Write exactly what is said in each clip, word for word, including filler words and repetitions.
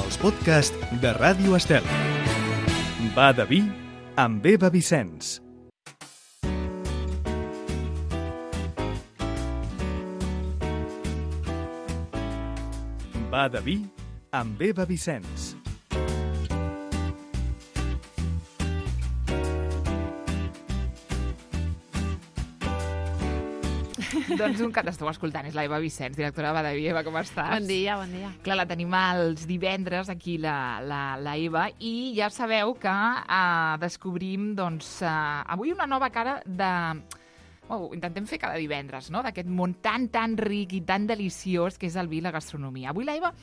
els podcasts de Ràdio Estel. Va de vi amb Eva Vicenç. Va de vi amb Eva Vicenç. Doncs un que t'esteu escoltant és la Eva Vicenç, directora de Va de vi. Eva, com estàs? Bon dia, bon dia. Clar, la tenim els divendres, aquí, la, la, la Eva, i ja sabeu que uh, descobrim, doncs, uh, avui una nova cara de... Oh, intentem fer cada divendres, no?, d'aquest món tan, tan ric i tan deliciós que és el vi i la gastronomia. Avui, la Eva,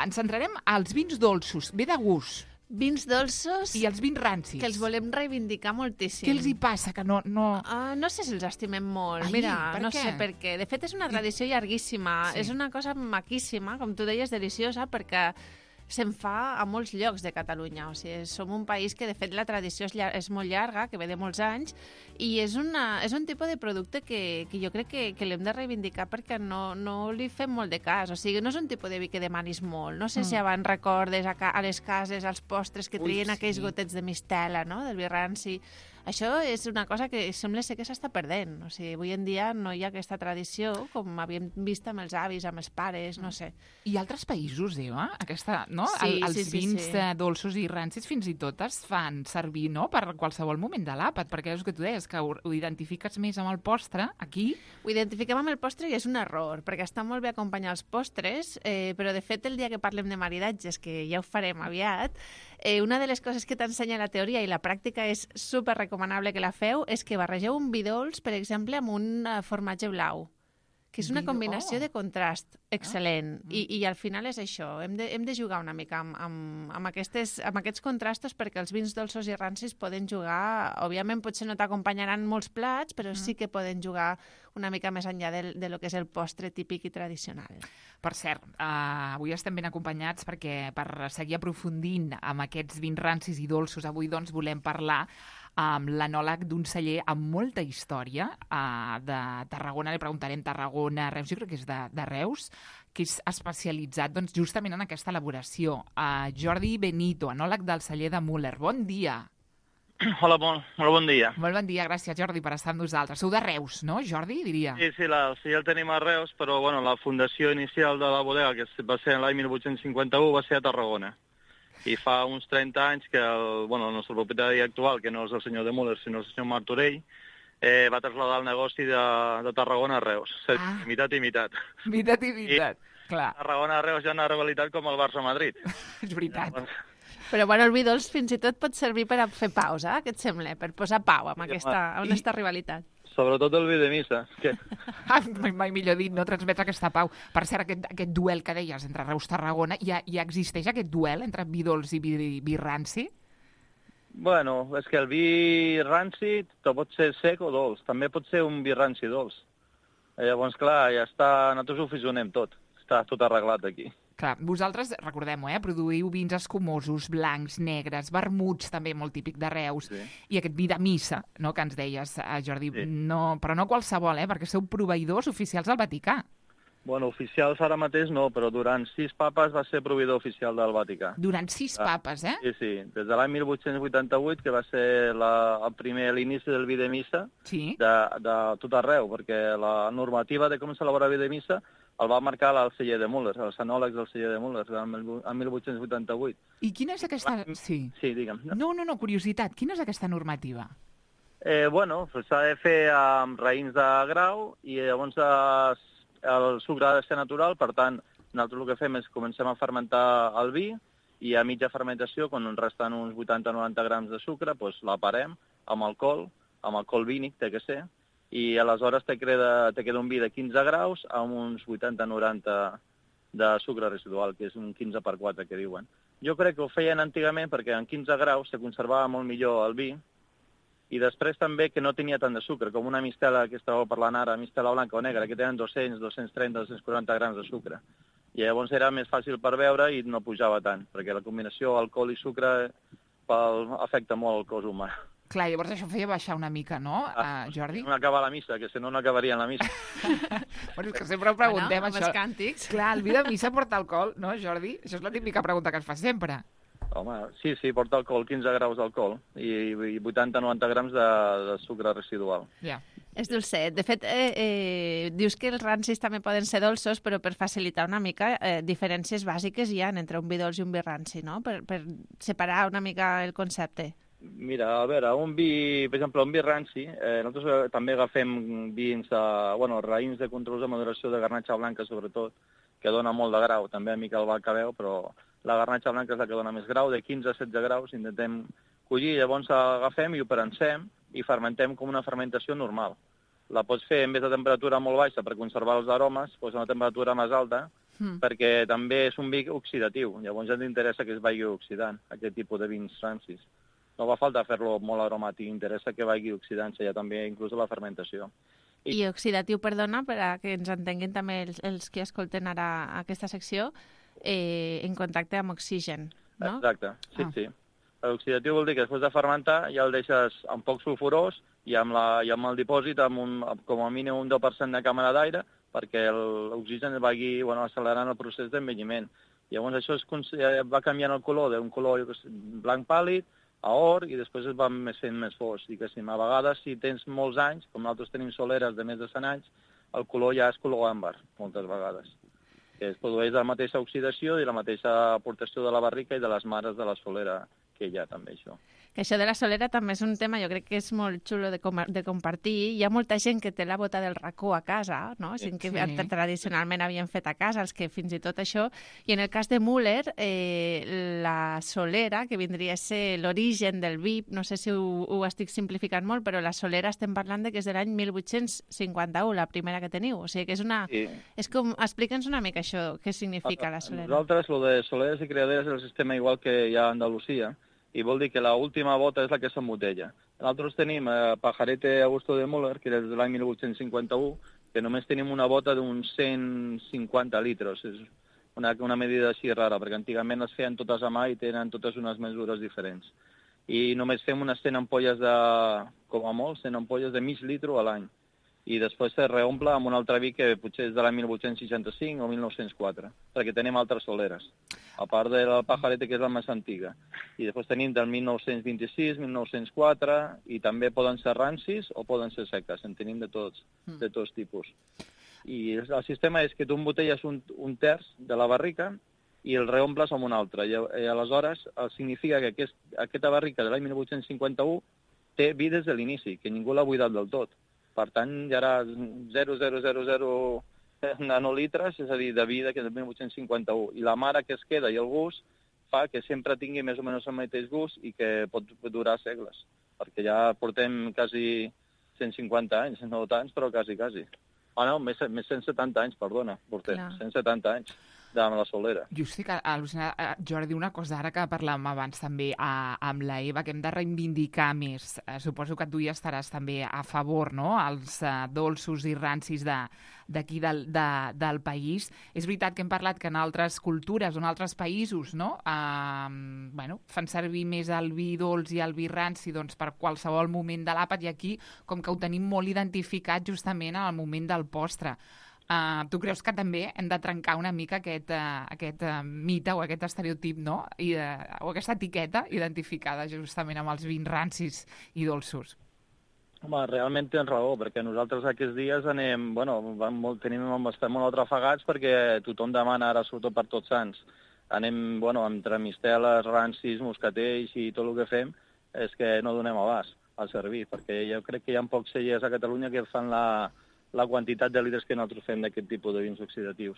ens centrarem als vins dolços, ve de gust. Vins dolços I els vins rancis. que els volem reivindicar moltíssim. Què els hi passa? Que no... no... Uh, no sé si els estimem molt. Ai, Mira, per no què? sé per què. De fet, és una tradició llarguíssima. Sí. És una cosa maquíssima, com tu deies, deliciosa, perquè se'n fa a molts llocs de Catalunya. O sigui, som un país que, de fet, la tradició és, llar és molt llarga, que ve de molts anys, i és, una, és un tipus de producte que, que jo crec que, que l'hem de reivindicar perquè no, no li fem molt de cas. O sigui, no és un tipus de vi que demanis molt. No sé mm. si abans recordes a, ca a les cases, als postres que Ui, trien sí. aquells gotets de mistela, no?, del vi ranci. Això és una cosa que sembla ser que s'està perdent. O sigui, avui en dia no hi ha aquesta tradició com havíem vist amb els avis, amb els pares, no sé. I altres països, Eva, aquesta, no? Sí, El, els sí, sí, vins sí. eh, dolços i rancis fins i tot es fan servir, no?, per qualsevol moment de l'àpat, perquè és el que tu deies, que ho, ho identifiques més amb el postre, aquí... Ho identifiquem amb el postre i és un error, perquè està molt bé acompanyar els postres, eh, però de fet el dia que parlem de maridatges, que ja ho farem aviat, eh, una de les coses que t'ensenya la teoria i la pràctica és super recomanable que la feu, és que barregeu un vi dolç, per exemple, amb un uh, formatge blau, que és una Vi- combinació oh. de contrast excel·lent. Ah. I, I al final és això, hem de, hem de jugar una mica amb, amb, amb, aquestes, amb aquests contrastos perquè els vins dolços i rancis poden jugar, òbviament potser no t'acompanyaran molts plats, però sí que poden jugar una mica més enllà de, de lo que és el postre típic i tradicional. Per cert, uh, avui estem ben acompanyats perquè per seguir aprofundint amb aquests vins rancis i dolços, avui doncs volem parlar amb l'anòleg d'un celler amb molta història uh, de Tarragona. Li preguntarem Tarragona, Reus, jo crec que és de, de Reus, que és especialitzat doncs, justament en aquesta elaboració. Uh, Jordi Benito, anòleg del celler de Müller. Bon dia. Hola, bon, molt bon dia. Molt bon dia, gràcies, Jordi, per estar amb nosaltres. Sou de Reus, no, Jordi, diria? Sí, sí, la, sí, el tenim a Reus, però bueno, la fundació inicial de la bodega, que va ser l'any mil vuit-cents cinquanta-u, va ser a Tarragona. I fa uns trenta anys que el, bueno, el nostre propietari actual, que no és el senyor de Müller, sinó el senyor Martorell, eh, va traslladar el negoci de, de Tarragona a Reus. Ah. Mitat i mitat. Mitat i mitat, clar. Tarragona a Reus hi ha una rivalitat com el Barça-Madrid. És veritat. Però bueno, el vi dolç fins i tot pot servir per a fer pausa, què et sembla? Per posar pau amb Sí, aquesta, I- amb aquesta rivalitat. Sobretot el vi de missa. Que... Ah, mai, mai millor dit, no transmetre aquesta pau. Per cert, aquest, aquest duel que deies entre Reus i Tarragona, ja, ja existeix aquest duel entre vi dolç i vi, vi ranci? Bueno, és que el vi ranci pot ser sec o dolç. També pot ser un vi ranci dolç. Llavors, clar, ja està... Nosaltres ho fusionem tot. Està tot arreglat aquí. Clar, vosaltres, recordem-ho, eh, produïu vins escumosos, blancs, negres, vermuts, també molt típic de Reus, Sí. i aquest vi de missa, no?, que ens deies, eh, Jordi, Sí. no, però no qualsevol, eh, perquè sou proveïdors oficials del Vaticà. Bueno, oficials ara mateix no, però durant sis papes va ser proveïdor oficial del Vaticà. Durant sis Ah, papes, eh? Sí, sí, des de l'any mil vuit-cents vuitanta-vuit, que va ser la, el primer l'inici del vi de missa Sí. de, de tot arreu, perquè la normativa de com s'elabora vi de missa el va marcar el celler de Müller, els anòlegs del celler de Müller, en mil vuit-cents vuitanta-vuit. I quina és aquesta... Sí. Sí, digue'm. No, no, no, curiositat. Quina és aquesta normativa? Eh, bueno, s'ha de fer amb raïms de grau i llavors eh, el sucre ha de ser natural, per tant, nosaltres el que fem és comencem a fermentar el vi i a mitja fermentació, quan ens resten uns vuitanta a noranta grams de sucre, doncs la parem amb alcohol, amb alcohol vínic, té que ser, i aleshores te queda, te queda un vi de quinze graus amb uns vuitanta a noranta de sucre residual, que és un quinze per quatre que diuen. Jo crec que ho feien antigament perquè en quinze graus se conservava molt millor el vi, i després també que no tenia tant de sucre, com una mistela que estàveu parlant ara, mistela blanca o negra, que tenen dos-cents, dos-cents trenta, dos-cents quaranta grams de sucre. I llavors era més fàcil per beure i no pujava tant, perquè la combinació alcohol i sucre pel, afecta molt el cos humà. Clar, llavors això feia baixar una mica, no, Ah, uh, Jordi? No acaba la missa, que si no, no acabaria la missa. Bueno, és que sempre ho preguntem, bueno, amb això. els càntics. Clar, el vi de missa porta alcohol, no, Jordi? Això és la típica pregunta que es fa sempre. Home, sí, sí, porta alcohol, quinze graus d'alcohol i, i vuitanta a noranta grams de, de sucre residual. Ja. És dolcet. De fet, eh, eh, dius que els rancis també poden ser dolços, però per facilitar una mica, eh, diferències bàsiques hi ha entre un vi dolç i un vi ranci, no? Per, per separar una mica el concepte. Mira, a veure, un vi, per exemple, un vi ranci, eh, nosaltres eh, també agafem vins, de, bueno, raïms de controls de maduració de garnatxa blanca, sobretot, que dona molt de grau, també a mica el bacabeu, però la garnatxa blanca és la que dona més grau, de quinze a setze graus, intentem collir, llavors agafem i ho prensem i fermentem com una fermentació normal. La pots fer en vez de temperatura molt baixa per conservar els aromes, doncs a una temperatura més alta, mm. perquè també és un vi oxidatiu, llavors ens interessa que es vagi oxidant, aquest tipus de vins rancis. No va falta fer-lo molt aromàtic, interessa que vagi oxidant-se ja també, inclús a la fermentació. I, I oxidatiu, perdona, per a que ens entenguin també els, els que escolten ara aquesta secció, eh, en contacte amb oxigen, no? Exacte, sí, ah. sí. L'oxidatiu vol dir que després de fermentar ja el deixes un poc sulfurós i amb, la, i amb el dipòsit amb un, com a mínim un deu per cent de càmera d'aire perquè l'oxigen vagi bueno, accelerant el procés d'envelliment. Llavors això es, va canviant el color d'un color blanc pàl·lid a or i després es va fent més fosc. Diguéssim, a vegades, si tens molts anys, com nosaltres tenim soleres de més de cent anys, el color ja és color àmbar, moltes vegades. Que es produeix la mateixa oxidació i la mateixa aportació de la barrica i de les mares de la solera que hi ha també, això. Que això de la solera també és un tema, jo crec que és molt xulo de, com de compartir. Hi ha molta gent que té la bota del racó a casa, no? Sí. Que sí. Tradicionalment havien fet a casa, els que fins i tot això. I en el cas de Müller, eh, la solera, que vindria a ser l'origen del vi, no sé si ho, ho estic simplificant molt, però la solera estem parlant de que és de l'any mil vuit-cents cinquanta-u, la primera que teniu. O sigui que és una... Sí. És com... Explica'ns una mica això, què significa la solera. Nosaltres, lo de soleres i criaderes és el sistema igual que hi ha a Andalusia, i vol dir que l'última bota és la que s'embotella. Nosaltres tenim eh, Pajarete Augusto de Müller, que és de l'any mil vuit-cents cinquanta-u, que només tenim una bota d'uns cent cinquanta litres. És una, una medida així rara, perquè antigament les feien totes a mà i tenen totes unes mesures diferents. I només fem unes cent ampolles de, com a molt, cent ampolles de mig litre a l'any. I després se reomple amb un altre vi que potser és de l'any mil vuit-cents seixanta-cinc o mil nou-cents quatre, perquè tenim altres soleres, a part de la Pajarete, que és la més antiga. I després tenim del mil nou-cents vint-i-sis, mil nou-cents quatre, i també poden ser rancis o poden ser seques, en tenim de tots, de tots tipus. I el sistema és que tu embotelles un, un terç de la barrica i el reomples amb un altre. I, i aleshores significa que aquest, aquesta barrica de l'any mil vuit-cents cinquanta-u té vi des de l'inici, que ningú l'ha buidat del tot. Per tant, hi haurà zero coma zero zero zero nanolitres, és a dir, de vida que és del mil vuit-cents cinquanta-u. I la mare que es queda i el gust fa que sempre tingui més o menys el mateix gust i que pot durar segles. Perquè ja portem quasi cent cinquanta anys, no tants, però quasi, quasi. Ah, no, més, més cent setanta anys, perdona, portem, Clar. cent setanta anys de la solera. Jo estic al·lucinada, Jordi, una cosa ara que parlàvem abans també a, amb la Eva, que hem de reivindicar més. Eh, suposo que tu hi estaràs també a favor, no?, els eh, dolços i rancis d'aquí de, del, de, del país. És veritat que hem parlat que en altres cultures o en altres països, no?, eh, bueno, fan servir més el vi dolç i el vi ranci doncs, per qualsevol moment de l'àpat, i aquí com que ho tenim molt identificat justament al moment del postre. Uh, tu creus que també hem de trencar una mica aquest, uh, aquest uh, mite o aquest estereotip, no? I, uh, o aquesta etiqueta identificada justament amb els vins rancis i dolços? Home, realment tens raó, perquè nosaltres aquests dies anem, bueno, molt, tenim, estem molt atrafegats perquè tothom demana ara, sobretot per Tots Sants, anem, bueno, entre misteles, rancis, moscatells i tot el que fem, és que no donem abast al servir, perquè jo crec que hi ha pocs cellers a Catalunya que fan la la quantitat de litres que nosaltres fem d'aquest tipus de vins oxidatius.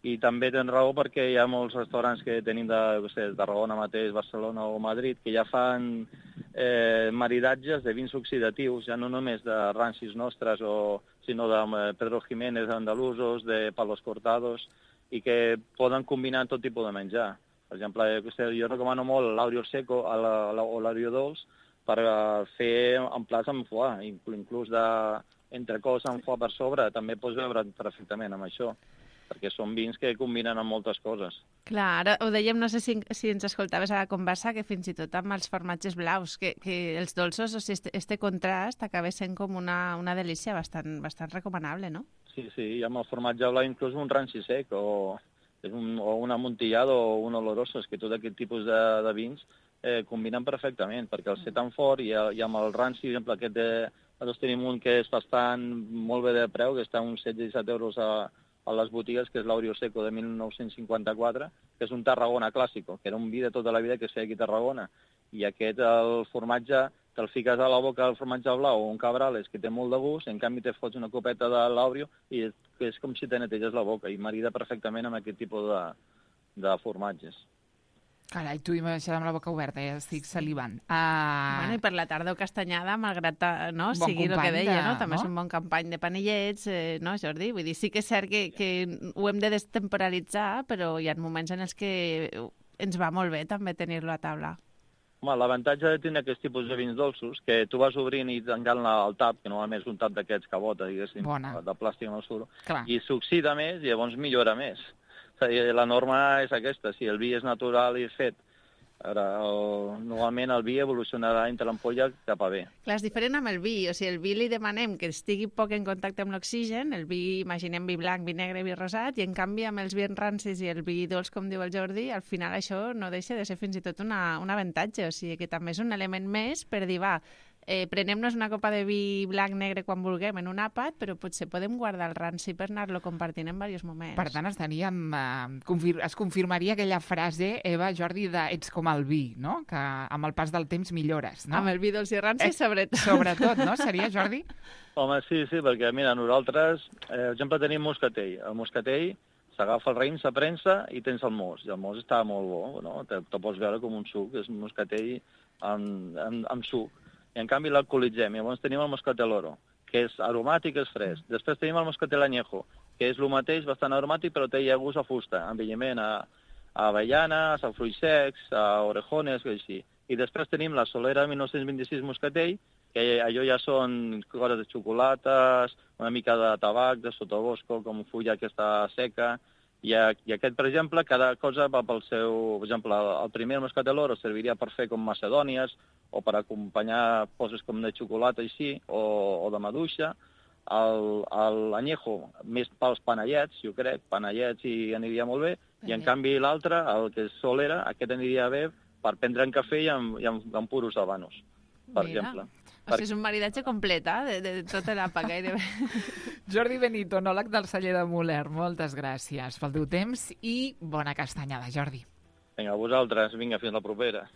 I també tens raó perquè hi ha molts restaurants que tenim de, no sé, de Tarragona mateix, Barcelona o Madrid, que ja fan eh, maridatges de vins oxidatius, ja no només de rancis nostres, o, sinó de Pedro Jiménez, andalusos, de Palos Cortados, i que poden combinar tot tipus de menjar. Per exemple, jo recomano molt l'Aureo Seco o l'Aureo Dolç per fer en plats amb foie, inclús de entrecós amb foie per sobre, també pots veure perfectament amb això. perquè són vins que combinen amb moltes coses. Clar, ara ho dèiem, no sé si, si ens escoltaves a la conversa, que fins i tot amb els formatges blaus, que, que els dolços, o sigui, este, este contrast acaba sent com una, una delícia bastant, bastant recomanable, no? Sí, sí, i amb el formatge blau inclús un ranci sec o, és un, o un amontillado o un oloroso, és que tot aquest tipus de, de vins eh, combinen perfectament, perquè el ser tan fort i, i amb el ranci, per exemple, aquest de, nosaltres tenim un que és bastant molt bé de preu, que està a uns setze a disset euros a, a les botigues, que és l'Aurio Seco de mil nou-cents cinquanta-quatre, que és un Tarragona clàssico, que era un vi de tota la vida que es feia aquí a Tarragona. I aquest, el formatge, te'l fiques a la boca el formatge blau o un Cabrales, que té molt de gust, en canvi te fots una copeta de l'Aurio i és com si te neteges la boca, i marida perfectament amb aquest tipus de, de formatges. Carai, tu m'ha deixat amb la boca oberta, ja estic salivant. Uh... Bueno, i per la tarda o castanyada, malgrat no, bon sigui el que deia, de, no? també no? és un bon company de panellets, eh, no, Jordi? Vull dir, sí que és cert que, que ho hem de destemporalitzar, però hi ha moments en els que ens va molt bé també tenir-lo a taula. Home, l'avantatge de tenir aquest tipus de vins dolços, que tu vas obrint i tancant el tap, que normalment és un tap d'aquests que bota, diguéssim, Bona. de plàstic amb el suro, Clar. i s'oxida més i llavors millora més. És a dir, la norma és aquesta, si el vi és natural i fet, ara, el, normalment el vi evolucionarà entre l'ampolla cap a bé. Clar, és diferent amb el vi, o sigui, el vi li demanem que estigui poc en contacte amb l'oxigen, el vi, imaginem vi blanc, vi negre, vi rosat, i en canvi amb els vins rancis i el vi dolç, com diu el Jordi, al final això no deixa de ser fins i tot una, un avantatge, o sigui que també és un element més per dir, va, eh, prenem-nos una copa de vi blanc negre quan vulguem en un àpat, però potser podem guardar el ranci per anar-lo compartint en diversos moments. Per tant, estaríem, eh, confir es confirmaria aquella frase, Eva, Jordi, de ets com el vi, no? Que amb el pas del temps millores, no? Amb el vi dolç i ranci, eh, sobretot. Sobretot, no? Seria, Jordi? Home, sí, sí, perquè, mira, nosaltres, eh, per exemple, tenim moscatell. El moscatell s'agafa el raïm, s'aprensa i tens el mos. I el mos està molt bo, no? Te, te pots veure com un suc, és un moscatell amb, amb, amb suc. I en canvi l'alcoholitzem. I llavors tenim el moscatel oro, que és aromàtic, és fresc. Després tenim el moscatel añejo, que és el mateix, bastant aromàtic, però té ja gust a fusta, envelliment a, a avellanes, a fruits secs, a orejones, que així. I després tenim la Solera mil nou-cents vint-i-sis moscatell, que allò ja són coses de xocolates, una mica de tabac, de sotobosco, com fulla que està seca. I, I aquest, per exemple, cada cosa va pel seu... Per exemple, el primer moscatel oro serviria per fer com macedònies o per acompanyar coses com de xocolata així, o, o de maduixa. L'añejo, més pels panellets, jo crec, panellets i aniria molt bé. I en canvi l'altre, el que és Solera, aquest aniria bé per prendre en cafè i amb, i amb, amb puros habanos, per Mira. exemple. O sigui, és un maridatge complet, eh? de, de tota l'àpat gairebé. Jordi Benito, enòleg del celler de Muller, moltes gràcies pel teu temps i bona castanyada, Jordi. Vinga, a vosaltres, vinga, fins la propera.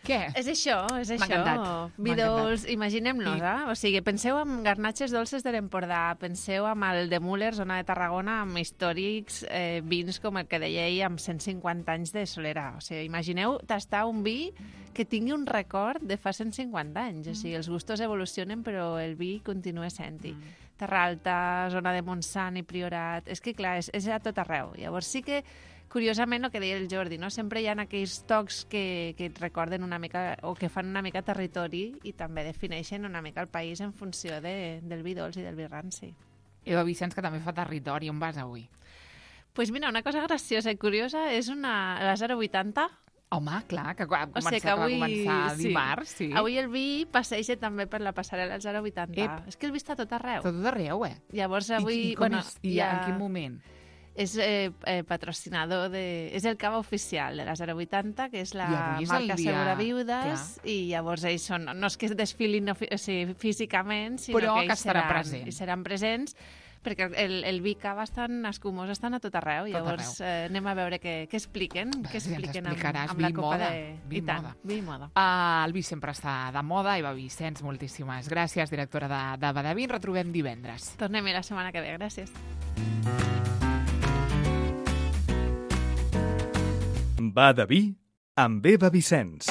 Què? És això, és M'ha això. encantat, Vi m'ha dolç, encantat. imaginem-nos, I- eh? O sigui, penseu en garnatges dolces de l'Empordà, penseu amb el de Muller, zona de Tarragona, amb històrics eh, vins com el que deia ell, amb cent cinquanta anys de Solera. O sigui, imagineu tastar un vi que tingui un record de fa cent cinquanta anys. O sigui, els gustos evolucionen, però el vi continua sent-hi. Mm. Terra Alta, zona de Montsant i Priorat... És que, clar, és, és a tot arreu. Llavors sí que curiosament, el que deia el Jordi, no? Sempre hi ha aquells tocs que, que et recorden una mica o que fan una mica territori i també defineixen una mica el país en funció de, del vi dolç i del vi ranci. Eva Vicenç, que també fa territori. On vas avui? Doncs pues mira, una cosa graciosa i curiosa és una, la zero vuitanta. Home, clar, que va O començar, sigui que avui, va començar sí. dimarts. Sí. Avui el vi passeja també per la passarel·la zero vuitanta. Ep. És que el vi està a tot arreu. Tot arreu, eh? Llavors avui... I, i com bueno, és? I ja... en quin moment? És eh, eh, patrocinador de... És el cava oficial de la zero vuitanta, que és la I avui és el marca dia- Segura Viudes, clar. i llavors ells són... No és que es desfilin no, o sigui, físicament, sinó Però que que ells estarà seran, present. i seran presents, perquè el, el vi cava estan escumós, estan a tot arreu. Tot Llavors eh, anem a veure què, què expliquen, Va, què si ens expliquen amb, explicaràs, amb la vi copa moda, de... vi I tant, moda. vi moda. Uh, el vi sempre està de moda. Eva Vicenç, moltíssimes gràcies, directora de, de Badaví. Ens retrobem divendres. Tornem-hi la setmana que ve, gràcies. Va de vi amb Eva Vicenç.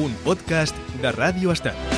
Un podcast de Ràdio Estel.